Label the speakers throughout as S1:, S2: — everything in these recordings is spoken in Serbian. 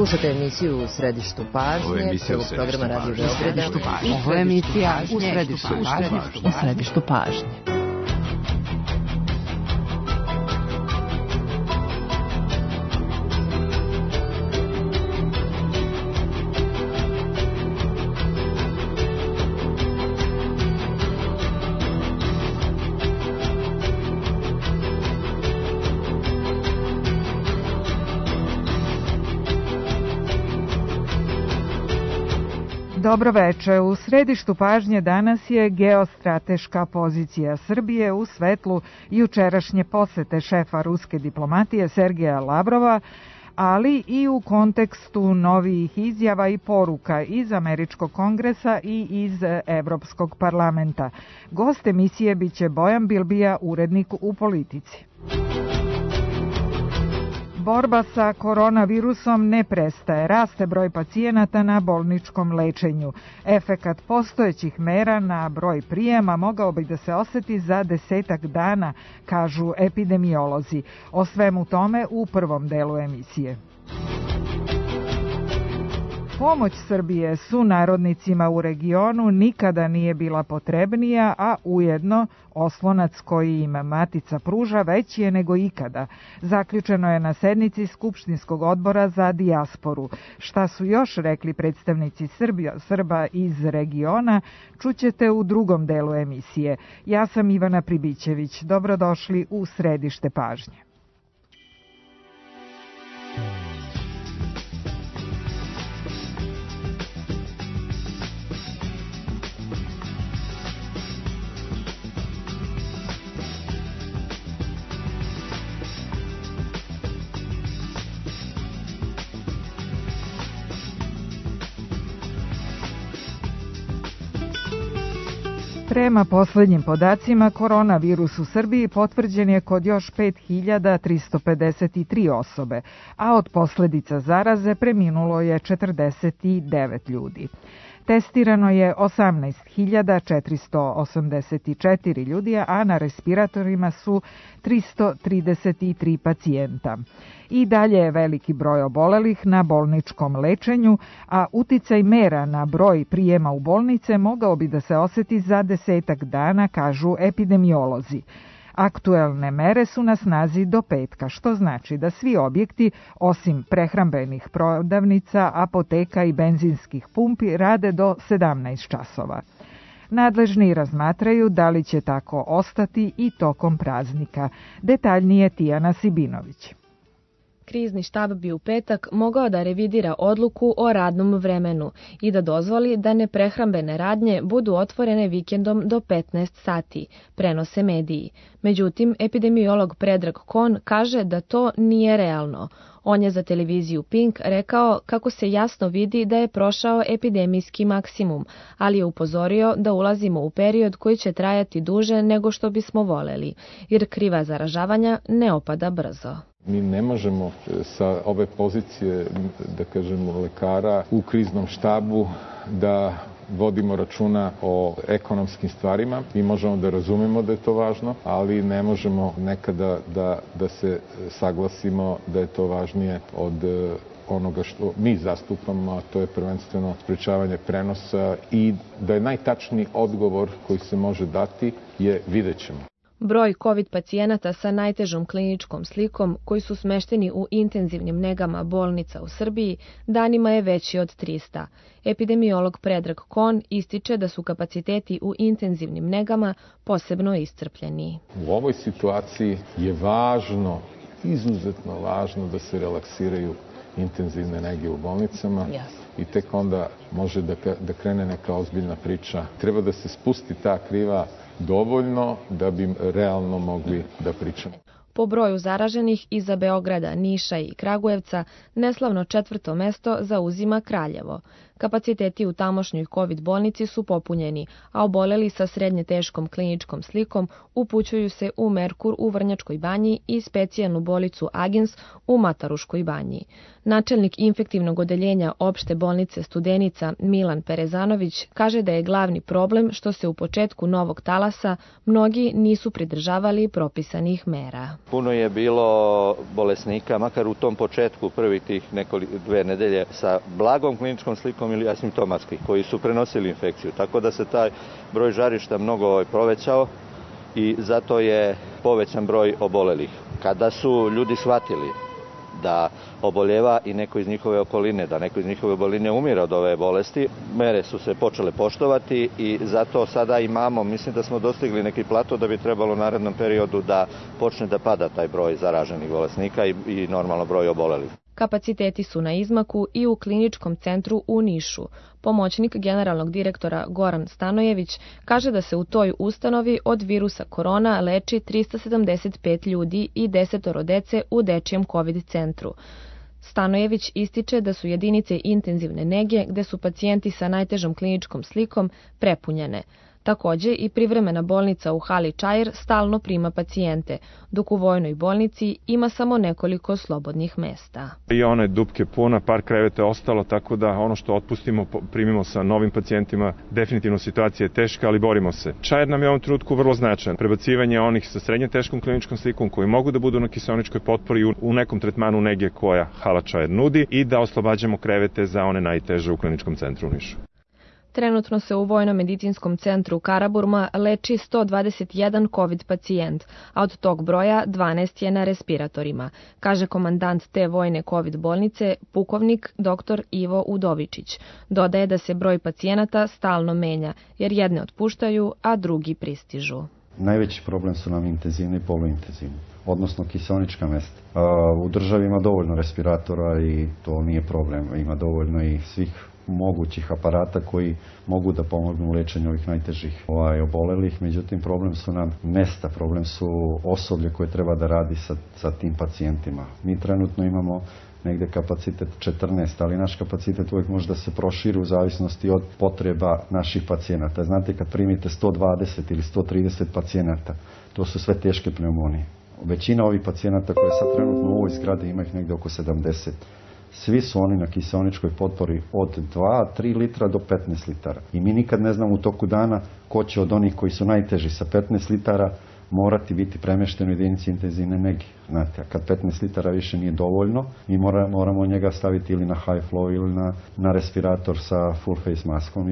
S1: Slušate emisiju U središtu pažnje, prvog programa Radio Beograda.
S2: Ovo je emisija U središtu pažnje.
S3: Dobro veče. U središtu pažnje danas je geostrateška pozicija Srbije u svetlu jučerašnje posete šefa ruske diplomatije Sergeja Lavrova, ali i u kontekstu novih izjava i poruka iz Američkog kongresa i iz Evropskog parlamenta. Gost emisije biće Bojan Bilbija, urednik u Politici. Borba sa koronavirusom ne prestaje. Raste broj pacijenata na bolničkom lečenju. Efekat postojećih mera na broj prijema mogao bi da se oseti za 10 dana, kažu epidemiolozi. O svemu tome u prvom delu emisije. Pomoć Srbije sunarodnicima u regionu nikada nije bila potrebnija, a ujedno oslonac koji im matica pruža veći je nego ikada. Zaključeno je na sednici Skupštinskog odbora za dijasporu. Šta su još rekli predstavnici Srba iz regiona, čućete u drugom delu emisije. Ja sam Ivana Pribićević. Dobrodošli u središte pažnje. Prema poslednjim podacima, koronavirus u Srbiji potvrđen je kod još 5353 osobe, a od posledica zaraze preminulo je 49 ljudi. Testirano je 18.484 ljudi, a na respiratorima su 333 pacijenta. I dalje je veliki broj obolelih na bolničkom lečenju, a uticaj mera na broj prijema u bolnice mogao bi da se oseti za 10 dana, kažu epidemiolozi. Aktuelne mere su na snazi do petka, što znači da svi objekti, osim prehrambenih prodavnica, apoteka i benzinskih pumpi, rade do 17 časova. Nadležni razmatraju da li će tako ostati i tokom praznika. Detaljnije Tijana Sibinović.
S4: Krizni štab bi u petak mogao da revidira odluku o radnom vremenu i da dozvoli da neprehrambene radnje budu otvorene vikendom do 15 sati, prenose mediji. Međutim, epidemiolog Predrag Kon kaže da to nije realno. On je za televiziju Pink rekao kako se jasno vidi da je prošao epidemijski maksimum, ali je upozorio da ulazimo u period koji će trajati duže nego što bismo voleli, jer kriva zaražavanja ne opada brzo.
S5: Mi ne možemo sa ove pozicije, da kažemo, lekara u kriznom štabu da vodimo računa o ekonomskim stvarima. Mi možemo da razumemo da je to važno, ali ne možemo nekada da se saglasimo da je to važnije od onoga što mi zastupamo, a to je prvenstveno sprečavanje prenosa i da je najtačniji odgovor koji se može dati je vidjet ćemo.
S4: Broj COVID pacijenata sa najtežom kliničkom slikom koji su smešteni u intenzivnim negama bolnica u Srbiji danima je veći od 300. Epidemiolog Predrag Kon ističe da su kapaciteti u intenzivnim negama posebno iscrpljeni.
S5: U ovoj situaciji je važno, izuzetno važno da se relaksiraju intenzivne nege u bolnicama i tek onda može da krene neka ozbiljna priča. Treba da se spusti ta kriva dovoljno da bi realno mogli da pričamo.
S4: Po broju zaraženih iza Beograda, Niša i Kragujevca neslavno 4. mesto zauzima Kraljevo. Kapaciteti u tamošnjoj COVID bolnici su popunjeni, a oboleli sa srednje teškom kliničkom slikom upućuju se u Merkur u Vrnjačkoj banji i specijalnu bolnicu Agins u Mataruškoj banji. Načelnik infektivnog odeljenja opšte bolnice bolnice Studenica Milan Perezanović kaže da je glavni problem što se u početku novog talasa mnogi nisu pridržavali propisanih mera.
S6: Puno je bilo bolesnika, makar u tom početku prvih tih 2 nedelje sa blagom kliničkom slikom ili asimptomatskih, koji su prenosili infekciju. Tako da se taj broj žarišta mnogo povećao i zato je povećan broj obolelih. Kada su ljudi shvatili da oboljeva i neko iz njihove okoline, da neko iz njihove okoline umire od ove bolesti, mere su se počele poštovati i zato sada imamo, mislim da smo dostigli neki plato da bi trebalo u narednom periodu da počne da pada taj broj zaraženih bolesnika i normalno broj obolelih.
S4: Kapaciteti su na izmaku i u kliničkom centru u Nišu. Pomoćnik generalnog direktora Goran Stanojević kaže da se u toj ustanovi od virusa korona leči 375 ljudi i 10 dece u dečijem COVID centru. Stanojević ističe da su jedinice intenzivne nege, gde su pacijenti sa najtežom kliničkom slikom, prepunjene. Takođe i privremena bolnica u Hali Čair stalno prima pacijente, dok u vojnoj bolnici ima samo nekoliko slobodnih mesta.
S7: I ona je dupke puna, par kreveta je ostalo, tako da ono što otpustimo primimo sa novim pacijentima. Definitivno situacija je teška, ali borimo se. Čair nam je u ovom trenutku vrlo značajan. Prebacivanje onih sa srednje teškom kliničkom slikom koji mogu da budu na kiseoničkoj potpori u nekom tretmanu nege koja Hala Čair nudi i da oslobađamo krevete za one najteže u kliničkom centru u Nišu.
S4: Trenutno se u Vojno-medicinskom centru Karaburma leči 121 COVID pacijent, a od tog broja 12 je na respiratorima, kaže komandant te vojne COVID bolnice, pukovnik dr. Ivo Udovičić. Dodaje da se broj pacijenata stalno menja, jer jedne otpuštaju, a drugi pristižu.
S8: Najveći problem su nam intenzivni i poluintenzivni, odnosno kiseonička mesta. U državi ima dovoljno respiratora i to nije problem, ima dovoljno i svih mogućih aparata koji mogu da pomognu u lečenju ovih najtežih obolelih, međutim problem su nam mesta, problem su osoblje koje treba da radi sa tim pacijentima. Mi trenutno imamo negde kapacitet 14, ali naš kapacitet uvijek može da se proširi u zavisnosti od potreba naših pacijenata. Znate, kad primite 120 ili 130 pacijenata, to su sve teške pneumonije. Većina ovih pacijenata koje sad trenutno u ovoj zgradi ima ih negde oko 70. Svi su oni na kiseoničkoj potpori od 2-3 litra do 15 litara. I mi nikad ne znamo u toku dana ko će od onih koji su najteži sa 15 litara morati biti premješten u jedinici intenzivne nege. Znate, a kad 15 litara više nije dovoljno, mi moramo njega staviti ili na high flow ili na respirator sa full face maskom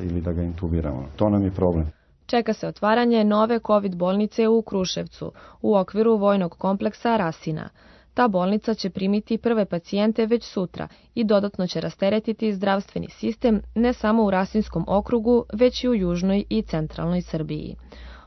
S8: ili da ga intubiramo. To nam je problem.
S4: Čeka se otvaranje nove COVID bolnice u Kruševcu u okviru vojnog kompleksa Rasina. Ta bolnica će primiti prve pacijente već sutra i dodatno će rasteretiti zdravstveni sistem ne samo u Rasinskom okrugu, već i u južnoj i centralnoj Srbiji.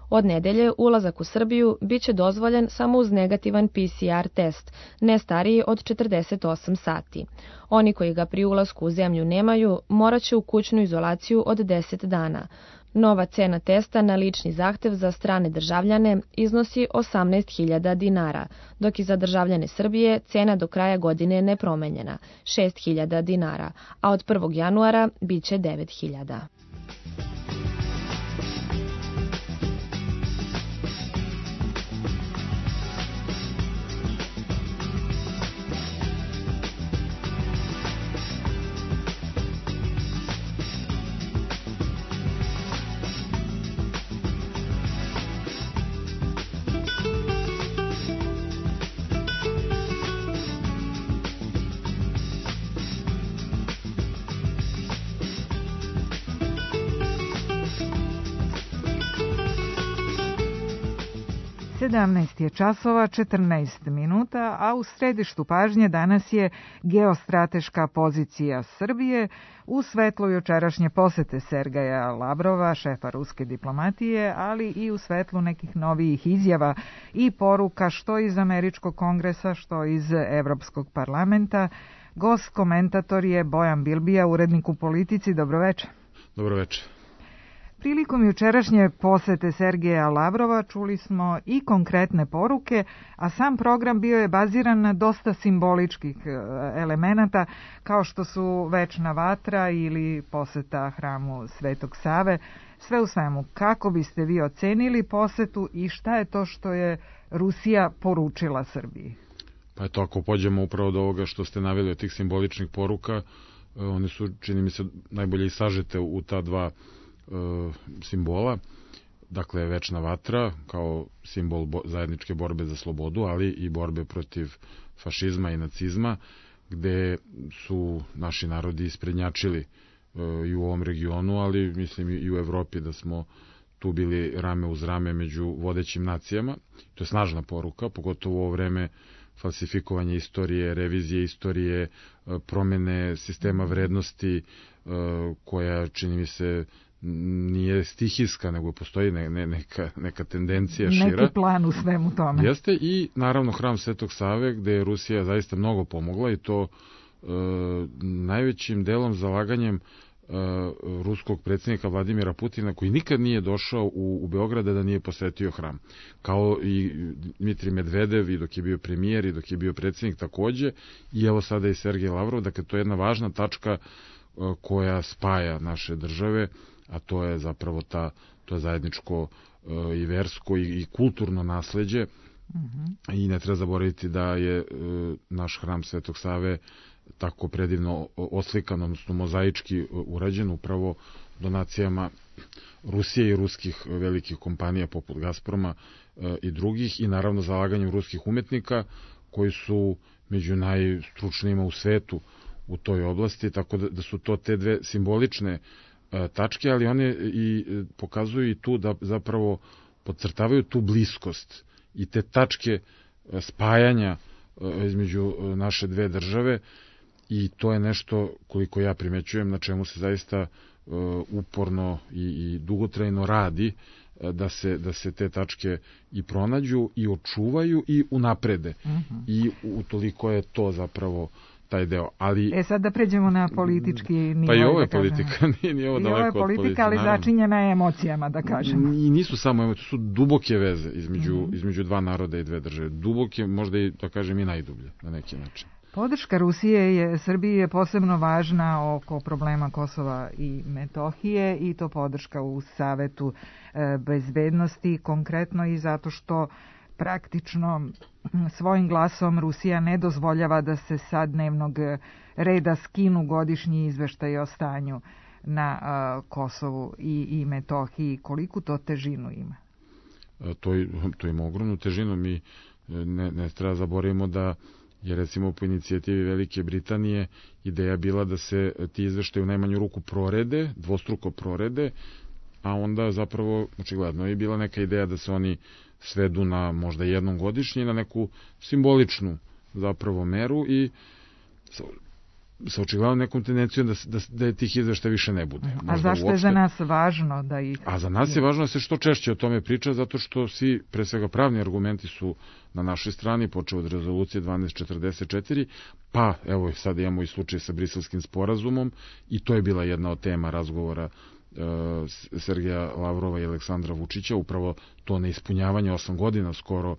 S4: Od nedelje ulazak u Srbiju biće dozvoljen samo uz negativan PCR test, ne stariji od 48 sati. Oni koji ga pri ulasku u zemlju nemaju, morat će u kućnu izolaciju od 10 dana. Nova cena testa na lični zahtev za strane državljane iznosi 18.000 dinara, dok i za državljane Srbije cena do kraja godine nepromenjena, 6.000 dinara, a od 1. januara biće 9.000.
S3: Je časova 14 minuta, a u središtu pažnje danas je geostrateška pozicija Srbije u svetlu jučerašnje posete Sergeja Lavrova, šefa ruske diplomatije, ali i u svetlu nekih novijih izjava i poruka što iz Američkog kongresa, što iz Evropskog parlamenta. Gost komentator je Bojan Bilbija, urednik u Politici. Dobroveče.
S9: Dobroveče.
S3: Prilikom jučerašnje posete Sergeja Lavrova čuli smo i konkretne poruke, a sam program bio je baziran na dosta simboličkih elemenata, kao što su večna vatra ili poseta hramu Svetog Save. Sve u svemu, kako biste vi ocenili posetu i šta je to što je Rusija poručila Srbiji?
S9: Pa eto, ako pođemo upravo od ovoga što ste naveli od tih simboličnih poruka, one su, čini mi se, najbolje i sažete u ta dva simbola. Dakle, večna vatra kao simbol zajedničke borbe za slobodu, ali i borbe protiv fašizma i nacizma, gde su naši narodi isprednjačili i u ovom regionu, ali mislim i u Evropi, da smo tu bili rame uz rame među vodećim nacijama. To je snažna poruka, pogotovo u ovo vreme falsifikovanja istorije, revizije istorije, promene sistema vrednosti, koja, čini mi se, nije stihijska, nego postoji neka tendencija šira.
S3: Neki plan u svemu tome.
S9: Jeste, i naravno Hram Svetog Save, gde je Rusija zaista mnogo pomogla, i to najvećim delom zalaganjem ruskog predsjednika Vladimira Putina, koji nikad nije došao u Beograda da nije posetio hram. Kao i Dmitrij Medvedev, i dok je bio premijer, i dok je bio predsjednik takođe, i evo sada i Sergej Lavrov. Dakle, to je jedna važna tačka koja spaja naše države, a to je zapravo to je zajedničko i versko i kulturno nasleđe. I ne treba zaboraviti da je naš Hram Svetog Save tako predivno oslikan, odnosno mozaički urađen upravo donacijama Rusije i ruskih velikih kompanija poput Gazproma i drugih, i naravno zalaganjem ruskih umetnika koji su među najstručnijima u svetu u toj oblasti, tako da su to te dve simbolične tačke, ali one i pokazuju i tu da zapravo podcrtavaju tu bliskost i te tačke spajanja između naše dve države, i to je nešto, koliko ja primećujem, na čemu se zaista uporno i dugotrajno radi, da se te tačke i pronađu i očuvaju i unaprede. I utoliko je to zapravo taj deo. Ali
S3: sad da pređemo na politički nivo.
S9: Pa i ovo je politika, nije ovo daleko od politike.
S3: Ali začinjena je emocijama, da kažemo.
S9: I nisu samo emocije, su duboke veze između dva naroda i dve države. Duboke, možda i, da kažem, i najdublje na neki način.
S3: Podrška Rusije Srbiji je posebno važna oko problema Kosova i Metohije, i to podrška u Savetu bezbednosti, konkretno i zato što praktično svojim glasom Rusija ne dozvoljava da se sa dnevnog reda skinu godišnji izveštaj o stanju na Kosovu i Metohiji. Koliku to težinu ima?
S9: To ima ogromnu težinu. Mi ne treba zaboravimo da je, recimo, po inicijativi Velike Britanije ideja bila da se ti izveštaji u najmanju ruku prorede, dvostruko prorede, a onda zapravo očigledno je bila neka ideja da se oni svedu na možda jednom godišnje, na neku simboličnu zapravo meru, i sa očigledno nekom tendencijom da tih izveštaja više ne bude.
S3: A zašto je za nas važno da ih...
S9: A za nas je važno da se što češće o tome priča, zato što svi, pre svega pravni argumenti, su na našoj strani, počeo od rezolucije 1244, pa evo sad imamo i slučaj sa Briselskim sporazumom, i to je bila jedna od tema razgovora Sergeja Lavrova i Aleksandra Vučića, upravo to neispunjavanje 8 godina skoro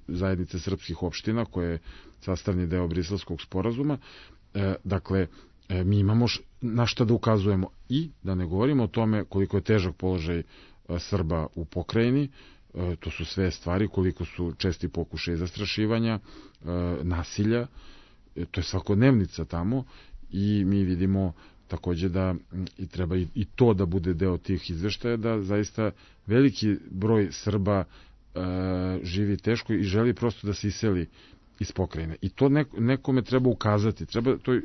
S9: zajednice srpskih opština, koje je sastavni deo Briselskog sporazuma. Dakle, mi imamo na šta da ukazujemo, i da ne govorimo o tome koliko je težak položaj Srba u pokrajini. To su sve stvari, koliko su česti pokušaji zastrašivanja, nasilja, to je svakodnevnica tamo, i mi vidimo takođe da i treba i to da bude deo tih izveštaja, da zaista veliki broj Srba živi teško i želi prosto da se iseli iz pokrajine. I to nekome treba ukazati, treba toj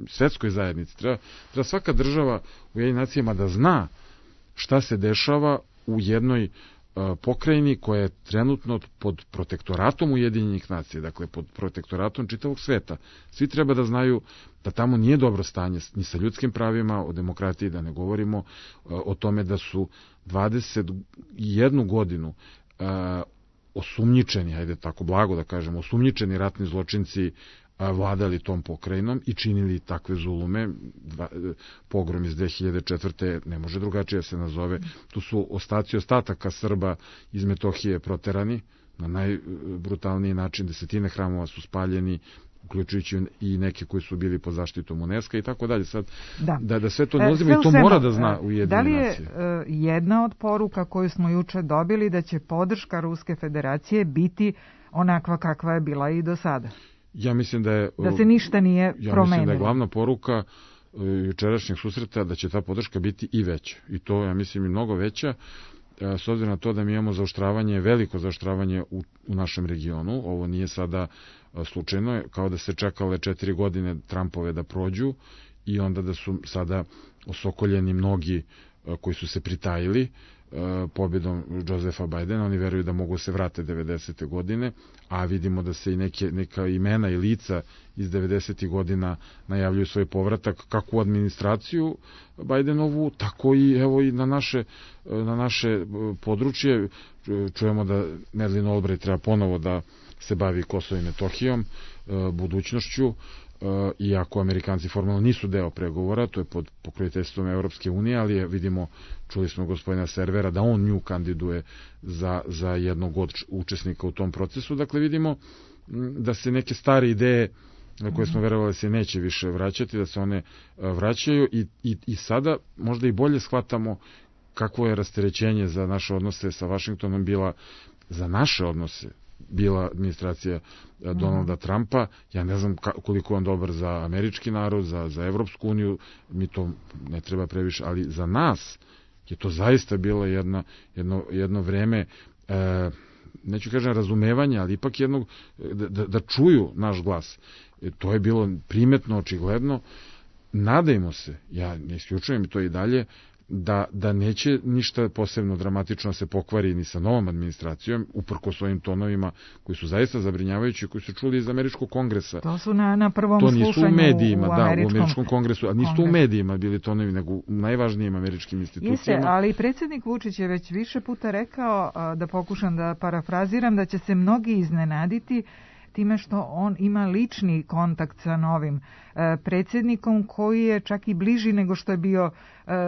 S9: svetskoj zajednici, treba svaka država u Ujedinjenim nacijama da zna šta se dešava u jednoj pokrajini koja je trenutno pod protektoratom Ujedinjenih nacija, dakle pod protektoratom čitavog sveta. Svi treba da znaju da tamo nije dobro stanje ni sa ljudskim pravima, o demokratiji da ne govorimo, o tome da su 21 godinu osumnjičeni, ajde tako blago da kažem, osumnjičeni ratni zločinci vladali tom pokrajinom i činili takve zulume. Pogrom iz 2004. ne može drugačije se nazove. Tu su ostaci ostataka Srba iz Metohije proterani na najbrutalniji način, desetine hramova su spaljeni, uključujući i neke koji su bili pod zaštitom UNESCO i tako dalje. Sad, da sve to ne uzimo, i to mora da zna Ujedinjene nacije.
S3: Da li je jedna od poruka koju smo juče dobili da će podrška Ruske federacije biti onakva kakva je bila i do sada?
S9: Ja mislim da
S3: se ništa nije promenilo.
S9: Ja mislim da je glavna poruka jučerašnjeg susreta da će ta podrška biti i veća. I to, ja mislim, i mnogo veća, s obzirom na to da mi imamo zaoštravanje, veliko zaoštravanje u našem regionu. Ovo nije sada slučajno, kao da se čekale 4 godine Trumpove da prođu i onda da su sada osokoljeni mnogi koji su se pritajili pobjedom Josefa Bajdena. Oni veruju da mogu se vrate 90. godine, a vidimo da se i neka imena i lica iz 90. godina najavljuju svoj povratak, kako u administraciju Bajdenovu, tako i evo i na naše područje. Čujemo da Madeleine Albright treba ponovo da se bavi Kosovom i Metohijom, budućnošću, iako Amerikanci formalno nisu deo pregovora, to je pod pokroviteljstvom Evropske unije, ali vidimo, čuli smo gospodina Servera, da on nju kandiduje za jednog od učesnika u tom procesu. Dakle, vidimo da se neke stare ideje na koje smo verovali se neće više vraćati, da se one vraćaju i sada možda i bolje shvatamo kakvo je rasterećenje za naše odnose sa Vašingtonom za naše odnose bila administracija Donalda Trumpa. Ja ne znam koliko je on dobar za američki narod, za Evropsku uniju, mi to ne treba previše, ali za nas je to zaista bilo jedno vreme, neću kažem razumevanja, ali ipak jednog, da čuju naš glas. To je bilo primetno, očigledno. Nadajmo se, ja ne isključujem to i dalje, da neće ništa posebno dramatično se pokvari ni sa novom administracijom, uprkos svojim tonovima koji su zaista zabrinjavajući, koji su čuli iz Američkog kongresa.
S3: To su na prvom slušanju
S9: u medijima, u Američkom kongresu, a nisu u medijima bili tonovi, nego u najvažnijim američkim institucijama.
S3: Jeste, ali predsjednik Vučić je već više puta rekao, da pokušam da parafraziram, da će se mnogi iznenaditi time što on ima lični kontakt sa novim predsjednikom, koji je čak i bliži nego što je bio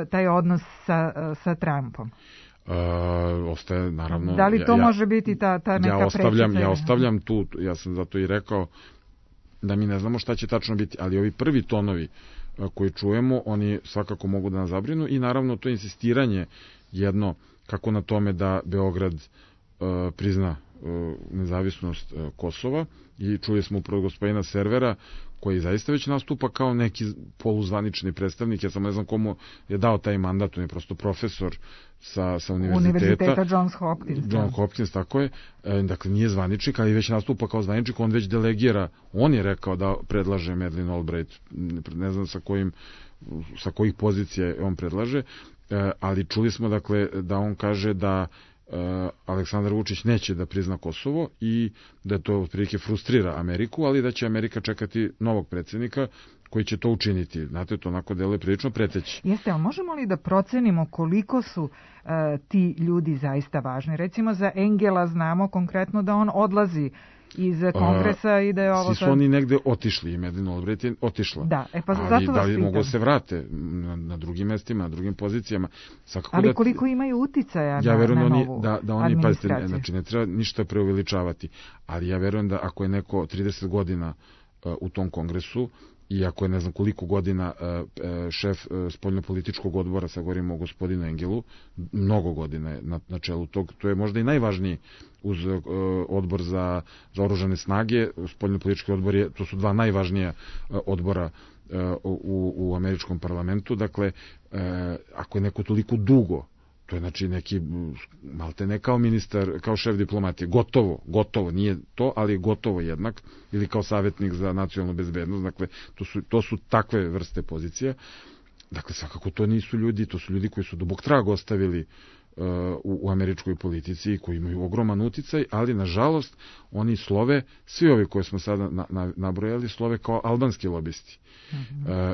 S3: taj odnos sa Trumpom.
S9: Ostaje, naravno...
S3: Da li to može biti ta neka prečica?
S9: Ja ostavljam tu, ja sam zato i rekao da mi ne znamo šta će tačno biti, ali ovi prvi tonovi koji čujemo, oni svakako mogu da nas zabrinu i naravno to insistiranje jedno, kako na tome da Beograd prizna nezavisnost Kosova, i čuli smo upravo gospodina Servera koji zaista već nastupa kao neki poluzvanični predstavnik. Ja sam ne znam komu je dao taj mandat, on je prosto profesor sa univerziteta Johns Hopkins, tako je. Dakle, nije zvaničnik, ali već nastupa kao zvaničnik, on već delegira, on je rekao da predlaže Madeleine Albright, ne znam sa kojih pozicija on predlaže, ali čuli smo dakle da on kaže da Aleksandar Vučić neće da prizna Kosovo i da to otprilike frustrira Ameriku, ali da će Amerika čekati novog predsjednika koji će to učiniti. Znate, to onako deluje prilično preteći.
S3: Jeste, ali možemo li da procenimo koliko su ti ljudi zaista važni? Recimo za Engela znamo konkretno da on odlazi iz kongresa i da je ovo...
S9: Svi su oni negde otišli i Madeleine Albright je otišla.
S3: Da, pa
S9: zato
S3: vas
S9: da li mogu se vrate na drugim mestima, na drugim pozicijama.
S3: Ali koliko imaju uticaja
S9: na
S3: novu
S9: oni, pazite, znači ne treba ništa preuveličavati, ali ja verujem da ako je neko 30 godina u tom kongresu i ako je ne znam koliko godina šef spoljnopolitičkog odbora, sad govorimo o gospodinu Engelu, mnogo godina je na čelu tog, to je možda i najvažniji uz odbor za oružane snage, spoljnopolitički odbor to su dva najvažnija odbora u američkom parlamentu. Dakle, ako je neko toliko dugo, to je znači neki, malte ne kao ministar, kao šef diplomatije, gotovo, nije to, ali gotovo jednak, ili kao savjetnik za nacionalnu bezbednost, dakle, to su takve vrste pozicija. Dakle, svakako to nisu ljudi, to su ljudi koji su dubok trag ostavili u američkoj politici i koji imaju ogroman uticaj, ali nažalost oni slove, svi ovi koje smo sada nabrojali, slove kao albanski lobisti.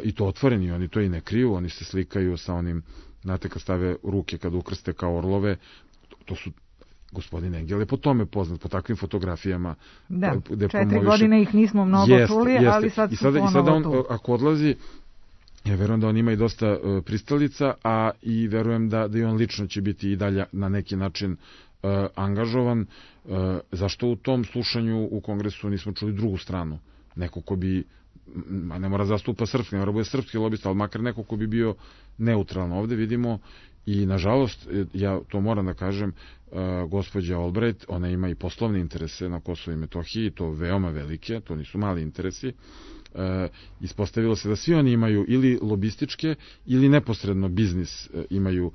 S9: I to otvoreni, oni to i ne kriju, oni se slikaju sa onim, znate, kad stave ruke, kad ukrste kao orlove, to su, gospodin Engel je po tome poznat, po takvim fotografijama.
S3: Da, 4 godine ih nismo mnogo čuli, ali sad su ponovo tu. I sada on,
S9: ako odlazi, ja verujem da on ima i dosta pristalica, a i verujem da i on lično će biti i dalje na neki način angažovan. Zašto u tom slušanju u kongresu nismo čuli drugu stranu? Neko ko bi, ne mora zastupa srpski, ne mora bude srpski lobista, ali makar neko ko bi bio neutralno. Ovde vidimo I nažalost, ja to moram da kažem, gospođa Albright, ona ima i poslovne interese na Kosovu i Metohiji, to veoma velike, to nisu mali interesi. Ispostavilo se da svi oni imaju ili lobističke ili neposredno biznis imaju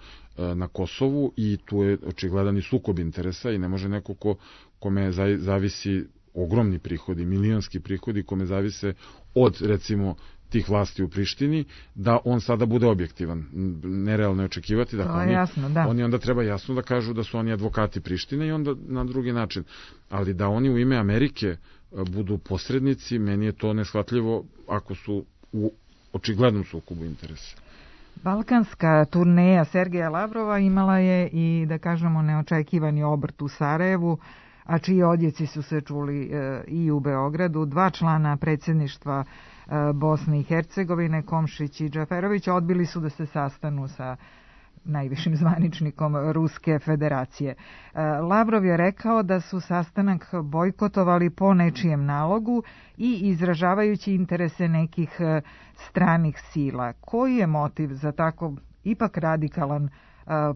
S9: na Kosovu i tu je očigledan i sukob interesa i ne može neko kome zavisi ogromni prihodi, milionski prihodi kome zavise od, recimo, tih vlasti u Prištini, da on sada bude objektivan. Nerealno je očekivati. Dakle, oni onda treba jasno da kažu da su oni advokati Prištine i onda na drugi način. Ali da oni u ime Amerike budu posrednici, meni je to neshvatljivo ako su u očiglednom sukobu interesa.
S3: Balkanska turneja Sergeja Lavrova imala je i, da kažemo, neočekivani obrt u Sarajevu, a čiji odjeci su se čuli i u Beogradu. 2 člana predsjedništva Bosne i Hercegovine, Komšić i Džaferović, odbili su da se sastanu sa najvišim zvaničnikom Ruske federacije. Lavrov je rekao da su sastanak bojkotovali po nečijem nalogu i izražavajući interese nekih stranih sila. Koji je motiv za tako ipak radikalan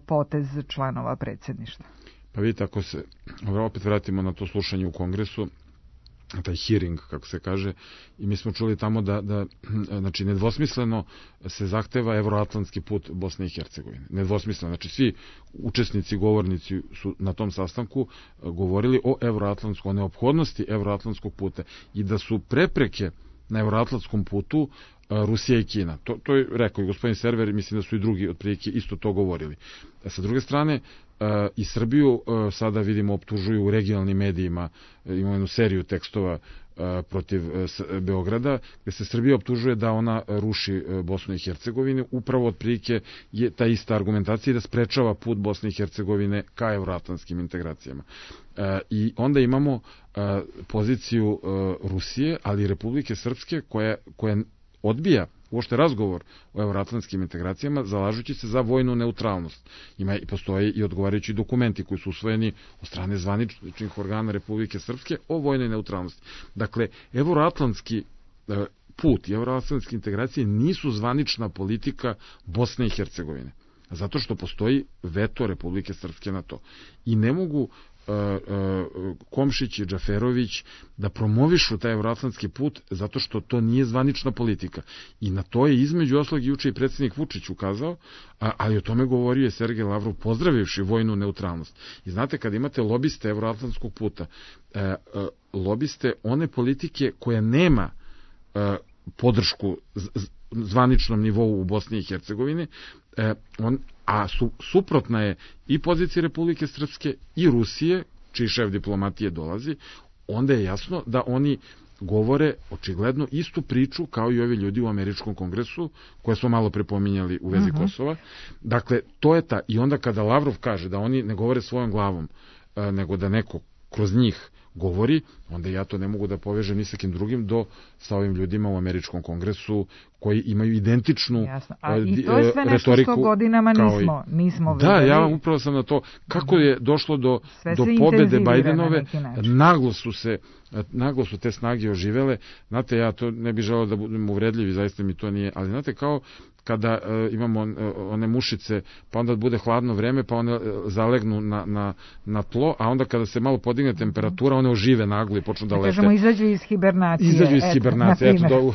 S3: potez članova predsjedništva?
S9: Pa vidite, ako se opet vratimo na to slušanje u Kongresu, taj hearing, kako se kaže, i mi smo čuli tamo da znači, nedvosmisleno se zahteva evroatlantski put Bosne i Hercegovine. Nedvosmisleno. Znači, svi učesnici, govornici su na tom sastanku govorili o evroatlantskom, o neophodnosti evroatlantskog puta i da su prepreke na evroatlantskom putu Rusija i Kina. To je rekao i gospodin Server i mislim da su i drugi otprilike isto to govorili. Sa druge strane, i Srbiju sada vidimo optužuju u regionalnim medijima, imamo jednu seriju tekstova protiv Beograda, gde se Srbija optužuje da ona ruši Bosnu i Hercegovinu, upravo otprilike je ta ista argumentacija da sprečava put Bosne i Hercegovine ka evroatlantskim integracijama. I onda imamo poziciju Rusije, ali i Republike Srpske koja odbija uopšte razgovor o evroatlantskim integracijama, zalažući se za vojnu neutralnost. Postoje i odgovarajući dokumenti koji su usvojeni od strane zvaničnih organa Republike Srpske o vojnoj neutralnosti. Dakle, evroatlantski put i evroatlantske integracije nisu zvanična politika Bosne i Hercegovine, zato što postoji veto Republike Srpske na to. I ne mogu Komšić i Džaferović da promovišu taj evroatlantski put zato što to nije zvanična politika. I na to je između oslog juče i predsjednik Vučić ukazao, ali o tome govorio je Sergej Lavrov pozdravivši vojnu neutralnost. I znate, kad imate lobiste evroatlantskog puta, lobiste one politike koja nema podršku zvaničnom nivou u Bosni i Hercegovini, a suprotna je i pozicija Republike Srpske i Rusije, čiji šef diplomatije dolazi, onda je jasno da oni govore očigledno istu priču kao i ovi ljudi u Američkom kongresu, koje smo malo prepominjali u vezi Kosova. Dakle, to je ta. I onda kada Lavrov kaže da oni ne govore svojom glavom, nego da neko kroz njih govori, onda ja to ne mogu da povežem ni sa kim drugim sa ovim ljudima u Američkom kongresu koji imaju identičnu retoriku.
S3: I to je sve nešto što godinama nismo videli.
S9: Da, ja upravo sam na to. Kako je došlo do pobede Bajdenove, naglo su te snage oživele. Znate, ja to ne bih želeo da budem uvredljiv i zaista mi to nije, ali znate, kao kada imamo one mušice, pa onda bude hladno vreme, pa one zalegnu na tlo, a onda kada se malo podigne temperatura, one ožive naglo i počnu da lete.
S3: Kažemo, izađu iz hibernacije.
S9: Eto,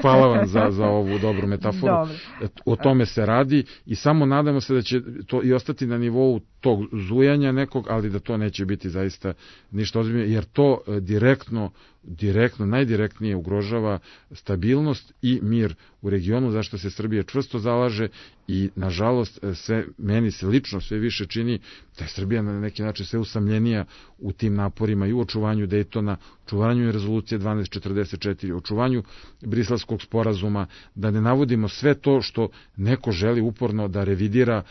S9: hvala vam za ovu dobru metaforu. O tome se radi i samo nadamo se da će to i ostati na nivou tog zujanja nekog, ali da to neće biti zaista ništa ozbiljno, jer to direktno, najdirektnije ugrožava stabilnost i mir u regionu, zašto se Srbija čvrsto zalaže i, nažalost, meni se lično sve više čini da je Srbija na neki način sve usamljenija u tim naporima i u očuvanju Dejtona, očuvanju rezolucije 1244, očuvanju Briselskog sporazuma, da ne navodimo sve to što neko želi uporno da revidira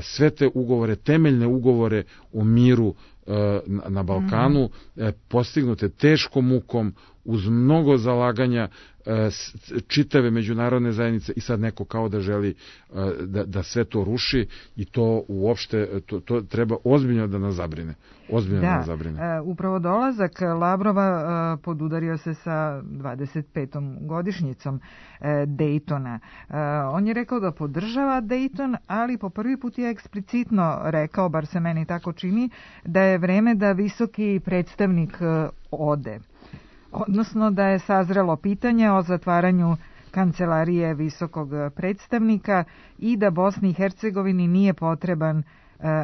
S9: sve te ugovore, temeljne ugovore o miru na Balkanu, postignute teškom mukom, uz mnogo zalaganja čitave međunarodne zajednice i sad neko kao da želi da sve to ruši i to uopšte, to treba ozbiljno da nas zabrine.
S3: Upravo dolazak Lavrova podudario se sa 25. godišnjicom Dejtona. On je rekao da podržava Dejton, ali po prvi put put je eksplicitno rekao, bar se meni tako čini, da je vreme da visoki predstavnik ode. Odnosno da je sazrelo pitanje o zatvaranju kancelarije visokog predstavnika i da Bosni i Hercegovini nije potreban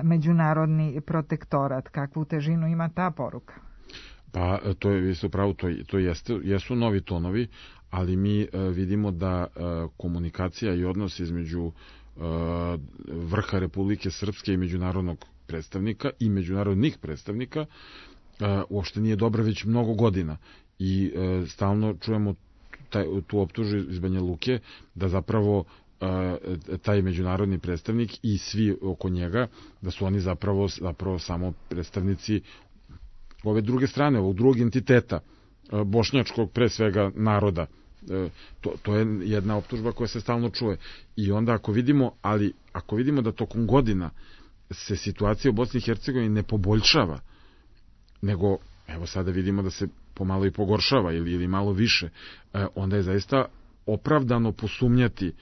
S3: međunarodni protektorat. Kakvu težinu ima ta poruka?
S9: Pa to je isto pravo, to jesu novi tonovi, ali mi vidimo da komunikacija i odnos između vrha Republike Srpske i međunarodnog predstavnika i međunarodnih predstavnika uopšte nije dobra već mnogo godina i stalno čujemo tu optužu iz Banja Luke da zapravo taj međunarodni predstavnik i svi oko njega, da su oni zapravo samo predstavnici ove druge strane, ovog drugog entiteta, bošnjačkog pre svega naroda. To je jedna optužba koja se stalno čuje. I onda ako vidimo da tokom godina se situacija u Bosni i Hercegovini ne poboljšava, nego evo sada vidimo da se pomalo i pogoršava ili malo više, onda je zaista opravdano posumnjati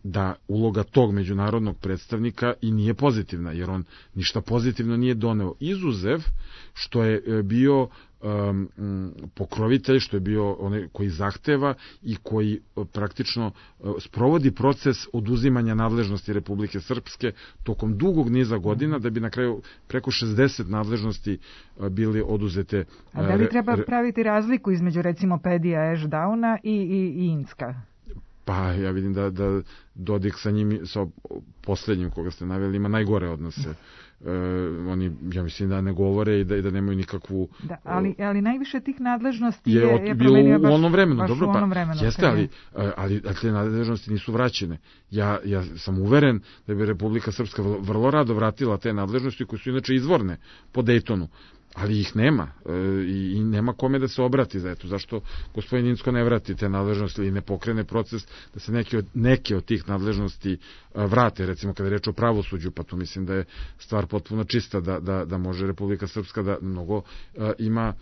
S9: da uloga tog međunarodnog predstavnika i nije pozitivna, jer on ništa pozitivno nije doneo. Izuzev što je bio pokrovitelj, što je bio onaj koji zahteva i koji praktično sprovodi proces oduzimanja nadležnosti Republike Srpske tokom dugog niza godina, da bi na kraju preko 60 nadležnosti bili oduzete.
S3: A da li treba praviti razliku između recimo Pedija Ešdauna i Incka?
S9: Pa ja vidim da Dodik sa njim, sa posljednjim koga ste naveli, ima najgore odnose. Oni, ja mislim da ne govore i da nemaju nikakvu...
S3: Da, ali najviše tih nadležnosti
S9: je promenio baš u onom vremenu. Dobro, jeste, ali te nadležnosti nisu vraćene. Ja sam uveren da bi Republika Srpska vrlo rado vratila te nadležnosti koje su inače izvorne po Dejtonu. Ali ih nema i nema kome da se obrati za eto. Zašto gospodin Incko ne vrati te nadležnosti ili ne pokrene proces da se neke od tih nadležnosti vrate, recimo kada je reč o pravosuđu, pa tu mislim da je stvar potpuno čista, da može Republika Srpska da mnogo ima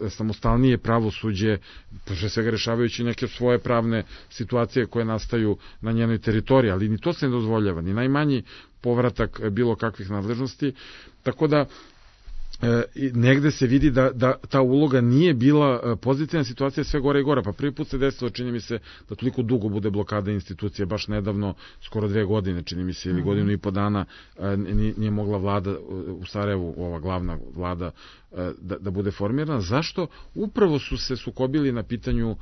S9: samostalnije pravosuđe, pre svega rešavajući neke svoje pravne situacije koje nastaju na njenoj teritoriji, ali ni to se ne dozvoljava, ni najmanji povratak bilo kakvih nadležnosti, tako da negde se vidi da ta uloga nije bila pozitivna, situacija sve gore i gore. Pa prvi put se desilo, čini mi se, da toliko dugo bude blokada institucije, baš nedavno, skoro 2 godine, čini mi se, ili godinu i po dana, nije mogla vlada u Sarajevu, ova glavna vlada, da bude formirana. Zašto? Upravo su se sukobili na pitanju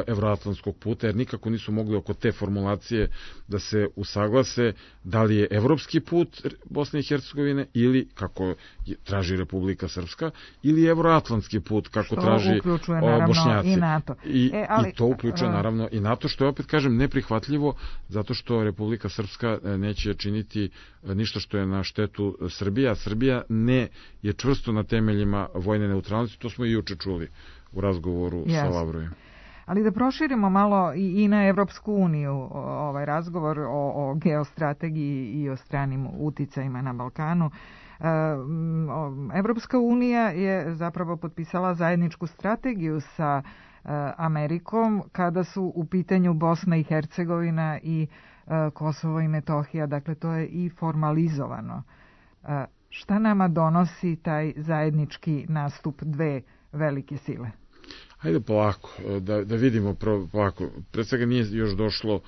S9: evroatlantskog puta, jer nikako nisu mogli oko te formulacije da se usaglase da li je evropski put Bosne i Hercegovine ili, kako traži Republika Srpska, ili evroatlantski put, kako traži Bošnjaci.
S3: I NATO.
S9: I to uključuje naravno i NATO, što je, opet kažem, neprihvatljivo, zato što Republika Srpska neće činiti ništa što je na štetu Srbije, a Srbija ne je čvrsto na temeljima vojne neutralnosti, to smo i juče čuli u razgovoru sa Lavrovim.
S3: Ali da proširimo malo i na Evropsku uniju ovaj razgovor o geostrategiji i o stranim uticajima na Balkanu. Evropska unija je zapravo potpisala zajedničku strategiju sa Amerikom kada su u pitanju Bosna i Hercegovina i Kosovo i Metohija, dakle to je i formalizovano. Šta nama donosi taj zajednički nastup dve velike sile?
S9: Hajde polako, da vidimo polako. Pred svega nije još došlo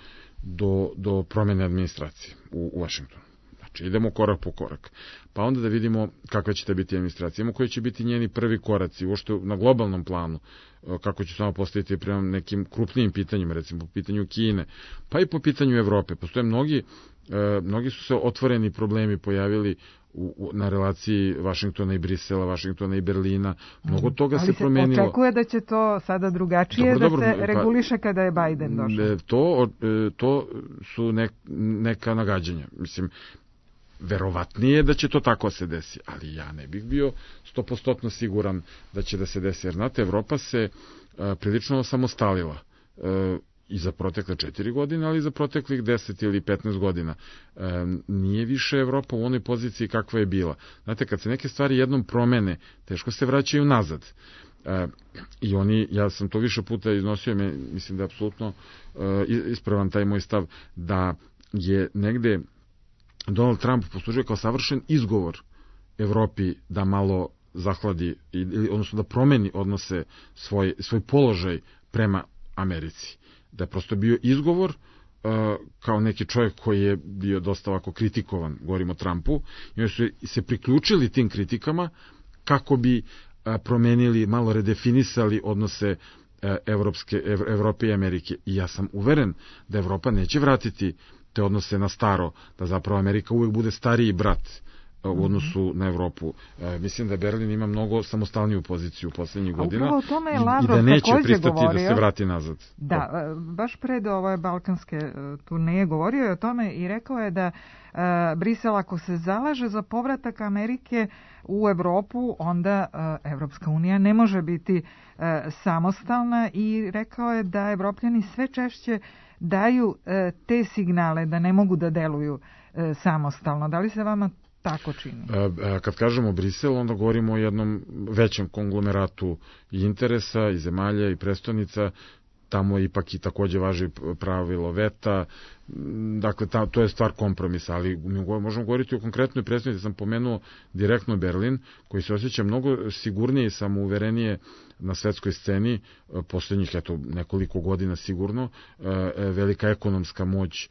S9: do promjene administracije u Vašingtonu. Znači, idemo korak po korak. Pa onda da vidimo kakva će te biti administracija. Imamo koji će biti njeni prvi koraci, uopšte na globalnom planu, kako će samo postaviti prema nekim krupnijim pitanjima, recimo po pitanju Kine, pa i po pitanju Evrope. Postoje mnogi su se otvoreni problemi pojavili na relaciji Vašingtona i Brisela, Vašingtona i Berlina. Mnogo toga se promenilo.
S3: Ali se očekuje da će to sada drugačije se reguliše kada je Biden došao?
S9: To su neka nagađanja. Mislim, verovatnije da će to tako se desi, ali ja ne bih bio 100% siguran da će da se desi, jer znate, Evropa se prilično osamostalila i za protekle 4 godine, ali i za proteklih 10 ili 15 godina. Nije više Evropa u onoj poziciji kakva je bila. Znate, kad se neke stvari jednom promene, teško se vraćaju nazad. I ja sam to više puta iznosio, mislim da je apsolutno ispravan taj moj stav, da je negde Donald Trump poslužio kao savršen izgovor Evropi da malo zahladi, odnosno da promeni odnose svoj položaj prema Americi. Da je prosto bio izgovor kao neki čovjek koji je bio dosta ovako kritikovan, govorimo o Trumpu, i oni su se priključili tim kritikama kako bi promenili, malo redefinisali odnose Evrope i Amerike. I ja sam uveren da Evropa neće vratiti te odnose na staro, da zapravo Amerika uvek bude stariji brat u odnosu na Evropu. Mislim da Berlin ima mnogo samostalniju poziciju u poslednjih godina i da neće pristati da se vrati nazad.
S3: Da, baš pred ove balkanske turneje govorio je o tome i rekao je da Brisel ako se zalaže za povratak Amerike u Evropu, onda Evropska unija ne može biti samostalna i rekao je da Evropljani sve češće daju te signale da ne mogu da deluju samostalno. Da li se vama tako čini?
S9: Kad kažemo Brisel, onda govorimo o jednom većem konglomeratu i interesa i zemalja i prestonica. Tamo ipak i takođe važi pravilo veta, dakle to je stvar kompromisa, ali možemo govoriti o konkretnoj predstavnici. Sam pomenuo direktno Berlin, koji se osjeća mnogo sigurnije i samouverenije na svetskoj sceni, poslednjih nekoliko godina sigurno, velika ekonomska moć,